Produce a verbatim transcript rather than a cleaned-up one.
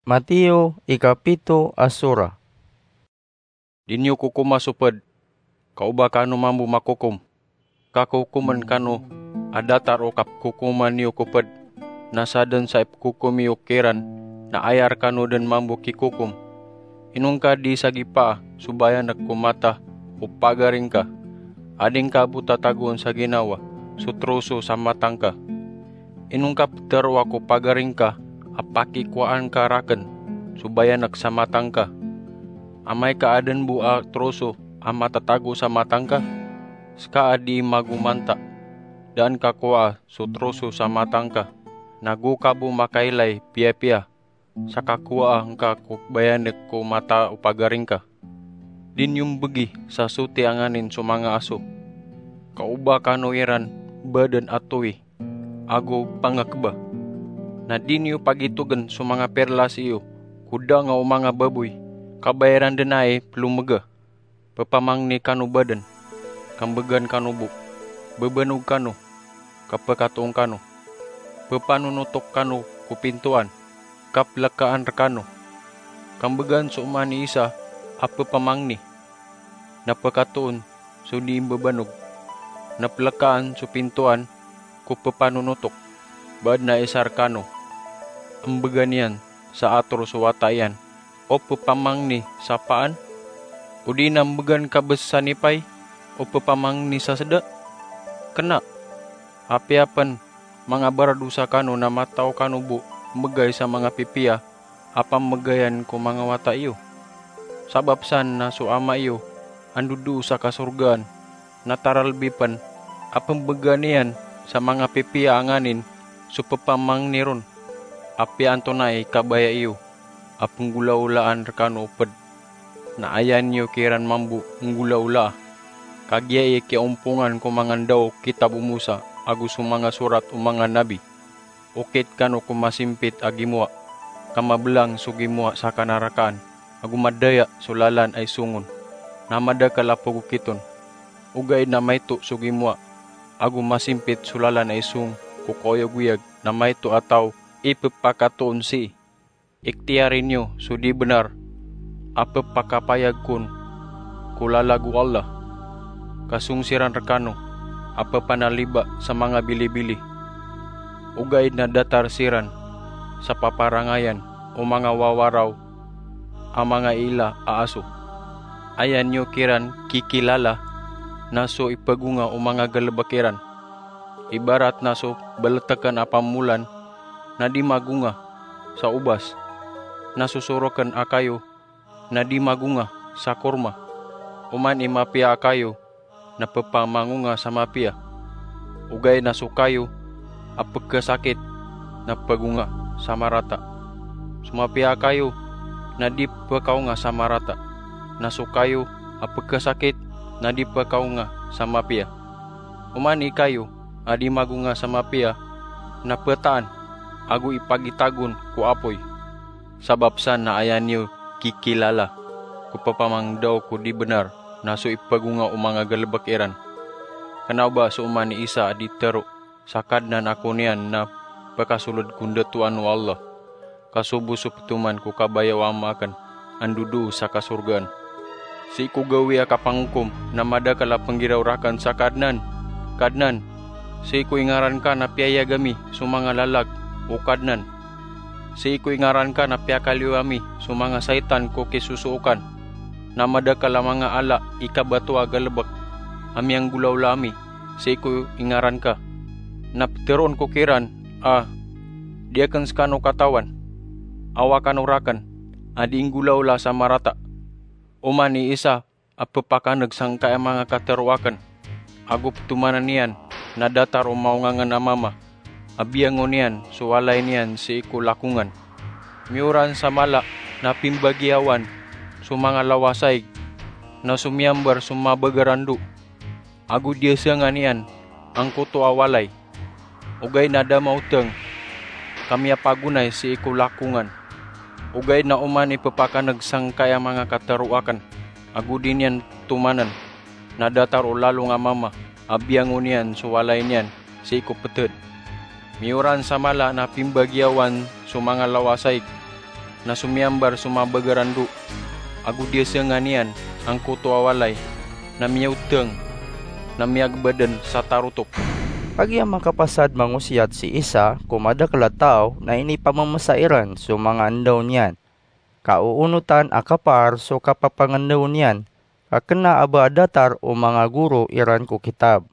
Mateo ikapito a sura. Di niyo kokoma so ped, ka o ba kano mambo makokom, ka kokomen kano a datar o kapkokoman iyo ko ped, na saden sa ipkokom iyo kiran na aya rekano den mambo kikokom. Inongka di sagipa so bayanek ko mata o pagaring ka, a di ngka bo tatagoon sa ginawa so troso sa matang ka. Inongka peteroa ko pagaring ka a pakikowaan ka raken so bayanek sa matang ka. Amay ka aden bo a troso a matatago sa matang ka, seka a di magomanta, daan ka kowaa so troso sa matang ka, nago ka bo makailay piyapiya sa kakowaa ngka ko bayanek ko mata o pagaring ka. Di niyo mbegi sa soti a nganin so manga aso, ka o ba kano iran baden a towi ago pangakeba. Na di niyo pagitogen so manga perlas iyo ko danga o manga baboy, ka ba iran den ai pelomega. Pepamangni kano baden, ka mbegan kano bo. Bebanog kano, ka pekatoon kano. Pepanonotok kano ko pintoan, ka pelekaan rekano. Ka mbegan so oman i isa a pepamangni, na pekatoon so di mbebanog, na pelekaan so pintoan ko pepanonotok. Baad na isa rekano a mbegan iyan sa ator so wata iyan o pepamangni sa paan, odi na mbegan ka bes sa nipay o pepamangni sa seda? Kena! Apiya pen manga baradosa kano na mataw kano bo mbegay sa manga pipiya a pamegayan ko manga wata iyo. Sabap san na so Ama iyo a ndodoo sa kasorgaan na taralbi pen a pembegan iyan sa manga pipiya a nganin so pepamangni ron. Apiya antonaa i kabaya iyo a penggolaolaan rekano o ped, na aya niyo kiran mambo nggolaolaa? Kagiya i kiyaompongan ko manga ndaw o kitab o Mosa ago so manga sorat o manga nabi. Okit kano ko masimpit a gimowa, ka mabelang so gimowa sa kanarakaan, ago madaya so lalan a isong on, na madakel a pagokit on. Ogaid na maito so gimowa ago masimpit so lalan a isong ko kaoyagoyag, na maito a taw i pepakatoon sii. Ikhtiyari niyo so di benar a pepakapayag kon ko lalag o Allah, ka song siran rekano a pepanaliba sa manga bilibili. Ogaid na datar siran sa paparangayan o manga wawaraw a manga ila a aso. Aya niyo kiran kikilala na so ipagonga o manga galebek iran. Ibarat na so beleteken a pamolan na di magonga sa obas, na so soroken a kayo na di magonga sa korma. Oman i mapiya a kayo na pepamangonga sa mapiya, ogaid na so kayo a pekesakit na pegonga sa marata. So mapiya a kayo na di pekaonga sa marata, na so kayo a pekesakit na di pekaonga sa mapiya. Oman i kayo a di magonga sa mapiya na petaan ago ipagitagon ko apoy. Sabap san na aya niyo kikilala ko pepamangdaw ko di benar na so ipagonga o manga galebek iran. Kena o ba so oman i isa a di tero sa Kadnan ako niyan na pekasoled ko ndatoan o Allah, ka so bo so petoman ko kabaya o Ama aken a ndodoo sa kasorgaan. Sii ko gawii a kapangokom na madakel a penggiraw raken sa Kadnan, Kadnan, sii ko ingaran ka na piyayag ami so manga lalag, o Kadnan. Sii ko ingaran ka na piyakaliyo ami so manga saitan ko kisosookan, na madakel a manga ala i kabato a galebek a miyanggolaola ami sii ko ingaran ka. Na peteroon ko kiran a, di aken sekano katawan, awa kano raken a di inggolaola sa marata. Oman i isa a pepakaneg sangkai a manga katero aken, ago petomanen iyan na datar o maongangen a mama a biyangon iyan so walay niyan sii ko lakongan. Miyoran sa mala na pimbagiyawan so manga lawasaig, na so miyambar so mabagaran do, ago diyasangan iyan angkoto a walay. Ogaid na da maoteng ka miyapagonay sii ko lakongan. Ogaid na oman i pepakaneg sangkai a manga katero aken, ago di niyan petomanen na datar o lalong a mama a biyangon iyan so walay niyan sii ko peted. Miyoran sa mala na pimbagiyawan so manga lawasaig, na somiyambar so mabagaran do, ago di asengan iyan angkoto a walay, na miyaoteng, na miyagbaden sa tarotop. Kagiya makapasad mangosiyat si Isa ko madakel a taw na inipamamesa iran so manga ndaw niyan, ka oonotan a kapar so kapapangendaw niyan, ka kena a ba a datar o manga goro iran ko kitab.